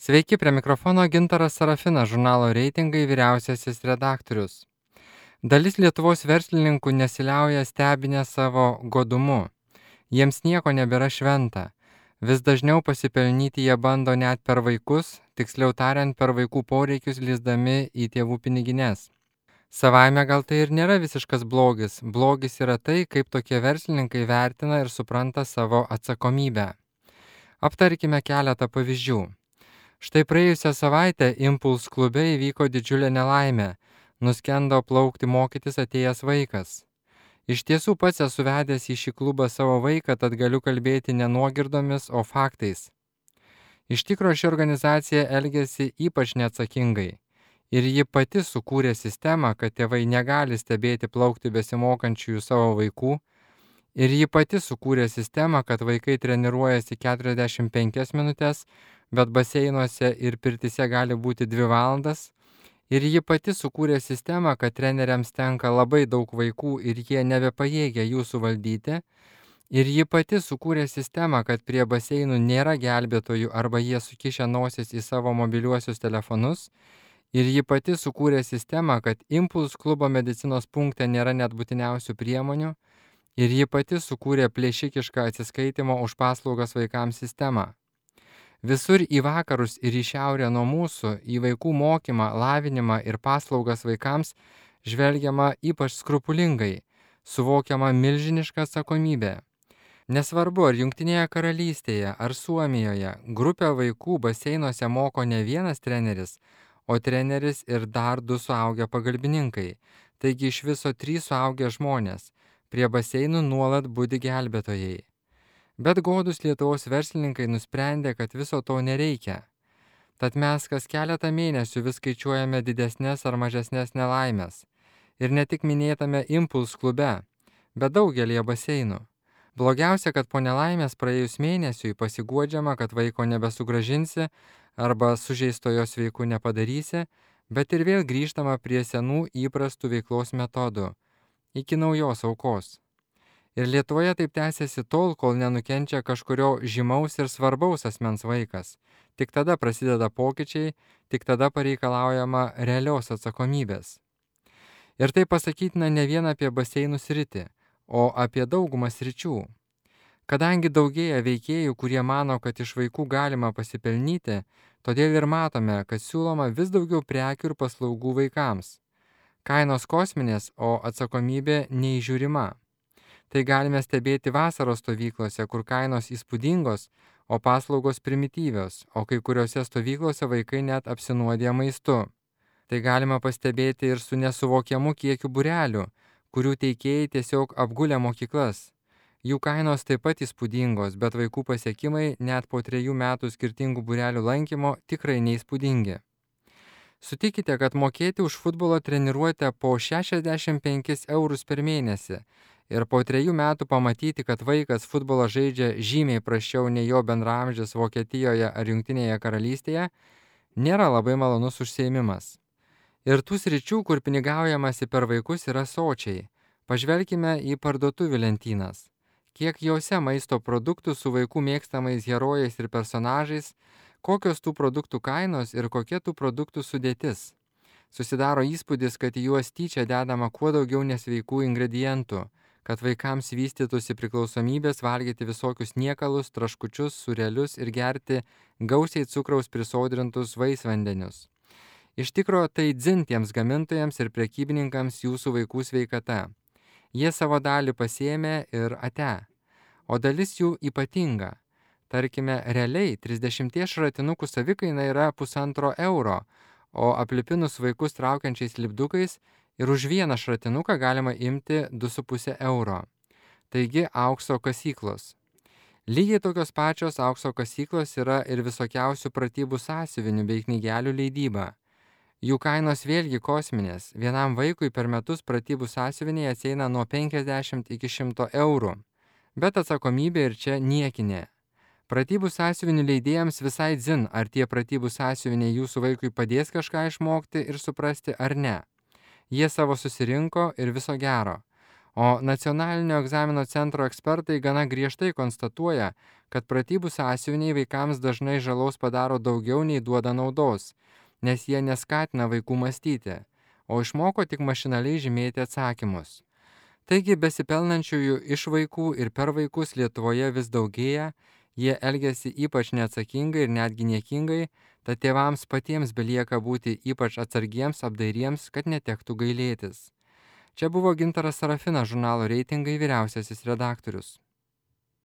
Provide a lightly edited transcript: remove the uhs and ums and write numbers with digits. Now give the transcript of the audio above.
Sveiki, prie mikrofono Gintaras Sarafinas, žurnalo Reitingai vyriausiasis redaktorius. Dalis Lietuvos verslininkų nesiliauja stebinę savo godumu. Jiems nieko nebėra šventa. Vis dažniau pasipelnyti jie bando net per vaikus, tiksliau tariant, per vaikų poreikius lįsdami į tėvų pinigines. Savaime gal tai ir nėra visiškas blogis. Blogis yra tai, kaip tokie verslininkai vertina ir supranta savo atsakomybę. Aptarkime keletą pavyzdžių. Štai praėjusią savaitę Impuls klube įvyko didžiulė nelaimė. Nuskendo plaukti mokytis atėjęs vaikas. Iš tiesų pats esu vedęs į šį klubą savo vaiką, tad galiu kalbėti ne nuogirdomis, o faktais. Iš tikro ši organizacija elgėsi ypač neatsakingai. Ir ji pati sukūrė sistemą, kad tėvai negali stebėti plaukti besimokančiųjų savo vaikų. Ir ji pati sukūrė sistemą, kad vaikai treniruojasi 45 minutes, bet baseinuose ir pirtyse gali būti 2 valandas. Ir ji pati sukūrė sistemą, kad treneriams tenka labai daug vaikų ir jie nebepajėgia jų suvaldyti. Ir ji pati sukūrė sistemą, kad prie baseinų nėra gelbėtojų arba jie sukišę nosis į savo mobiliuosius telefonus. Ir ji pati sukūrė sistemą, kad Impuls klubo medicinos punkte nėra net būtiniausių priemonių. Ir ji pati sukūrė plėšikišką atsiskaitimo už paslaugas vaikams sistemą. Visur į vakarus ir į šiaurę nuo mūsų, į vaikų mokymą, lavinimą ir paslaugas vaikams žvelgiama ypač skrupulingai, suvokiama milžiniška atsakomybė. Nesvarbu, ar Jungtinėje karalystėje, ar Suomijoje, grupę vaikų baseinuose moko ne vienas treneris, o treneris ir dar 2 suaugę pagalbininkai, taigi iš viso 3 suaugę žmonės, prie baseinų nuolat budi gelbėtojai. Bet godus Lietuvos verslininkai nusprendė, kad viso to nereikia. Tad mes kas keletą mėnesių vis skaičiuojame didesnės ar mažesnės nelaimės. Ir ne tik minėtame Impuls klube, bet daugelie baseinų. Blogiausia, kad po nelaimės praėjus mėnesiui pasiguodžiama, kad vaiko nebesugrąžinsi arba sužeistojo sveiku nepadarysi, bet ir vėl grįžtama prie senų įprastų veiklos metodų, iki naujos aukos. Ir Lietuvoje taip tęsiasi tol, kol nenukenčia kažkurio žymaus ir svarbaus asmens vaikas. Tik tada prasideda pokyčiai, tik tada pareikalaujama realios atsakomybės. Ir tai pasakytina ne vien apie baseinų sritį, o apie daugumą sričių. Kadangi daugėja veikėjų, kurie mano, kad iš vaikų galima pasipelnyti, todėl ir matome, kad siūloma vis daugiau prekių ir paslaugų vaikams. Kainos kosminės, o atsakomybė neįžiūrima. Tai galime stebėti vasaros stovyklose, kur kainos įspūdingos, o paslaugos primityvios, o kai kuriuose stovyklose vaikai net apsinuodė maistu. Tai galima pastebėti ir su nesuvokiamu kiekiu būrelių, kurių teikėjai tiesiog apgulė mokyklas. Jų kainos taip pat įspūdingos, bet vaikų pasiekimai net po 3 metų skirtingų būrelių lankymo tikrai neįspūdingi. Sutikite, kad mokėti už futbolo treniruotę po 65 eurus per mėnesį ir po 3 metų pamatyti, kad vaikas futbolą žaidžia žymiai prasčiau nei jo bendraamžis Vokietijoje ar Jungtinėje karalystėje, nėra labai malonus užsiėmimas. Ir tų sričių, kur pinigaujamasi per vaikus, yra sočiai. Pažvelkime į parduotuvių lentynas. Kiek jose maisto produktų su vaikų mėgstamais herojais ir personažais, kokios tų produktų kainos ir kokia tų produktų sudėtis. Susidaro įspūdis, kad į juos tyčia dedama kuo daugiau nesveikų ingredientų, kad vaikams vystytųsi priklausomybės valgyti visokius niekalus, traškučius, sūrelius ir gerti gausiai cukraus prisodrintus vaisvandenius. Iš tikro tai dzin tiems gamintojams ir prekybininkams jūsų vaikų sveikata. Jie savo dalį pasiėmė ir ate. O dalis jų ypatinga. Tarkime, realiai 30 šratinukų savikaina yra 1,5 euro, o aplipinus vaikus traukiančiais lipdukais ir už vieną šratinuką galima imti 2,5 euro. Taigi aukso kasyklos. Lygiai tokios pačios aukso kasyklos yra ir visokiausių pratybų sąsiuvinių bei knygelių leidyba. Jų kainos vėlgi kosminės. Vienam vaikui per metus pratybų sąsiuviniai atsieina nuo 50 iki 100 eurų. Bet atsakomybė ir čia niekinė. Pratybų sąsiuvinių leidėjams visai dzin, ar tie pratybų sąsiuviniai jūsų vaikui padės kažką išmokti ir suprasti ar ne. Jie savo susirinko ir viso gero. O Nacionalinio egzamino centro ekspertai gana griežtai konstatuoja, kad pratybų sąsiuviniai vaikams dažnai žalos padaro daugiau nei duoda naudos, nes jie neskatina vaikų mąstyti, o išmoko tik mašinaliai žymėti atsakymus. Taigi besipelnančiųjų iš vaikų ir per vaikus Lietuvoje vis daugėja, jie elgiasi ypač neatsakingai ir netgi niekingai, tad tėvams patiems belieka būti ypač atsargiems, apdairiems, kad netektų gailėtis. Čia buvo Gintaras Sarafinas, žurnalo Reitingai vyriausiasis redaktorius.